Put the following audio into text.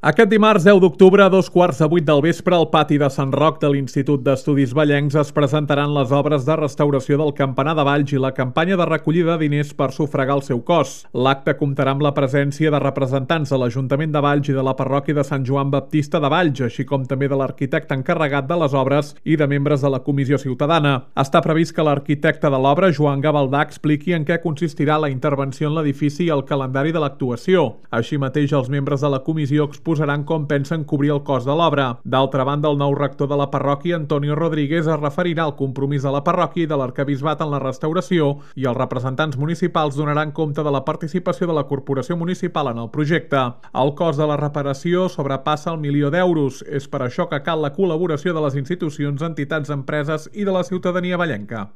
Aquest dimarts 10 d'octubre a 2:15 del vespre al pati de Sant Roc de l'Institut d'Estudis Vallencs es presentaran les obres de restauració del campanar de Valls i la campanya de recollida de diners per sufragar el seu cost. L'acte comptarà amb la presència de representants de l'Ajuntament de Valls i de la parròquia de Sant Joan Baptista de Valls, així com també de l'arquitecte encarregat de les obres i de membres de la Comissió Ciutadana. Està previst que l'arquitecte de l'obra, Joan Gavaldà, expliqui en què consistirà la intervenció en l'edifici i el calendari de l'actuació. Així mateix, els membres de la comissió exposaran com pensen cobrir el cost de l'obra. D'altra banda, el nou rector de la parròquia, Antonio Rodríguez, es referirà al compromís de la parròquia i de l'arquebisbat en la restauració i els representants municipals donaran compte de la participació de la corporació municipal en el projecte. El cost de la reparació sobrepassa el €1.000.000. És per això que cal la col·laboració de les institucions, entitats, empreses i de la ciutadania vallenca.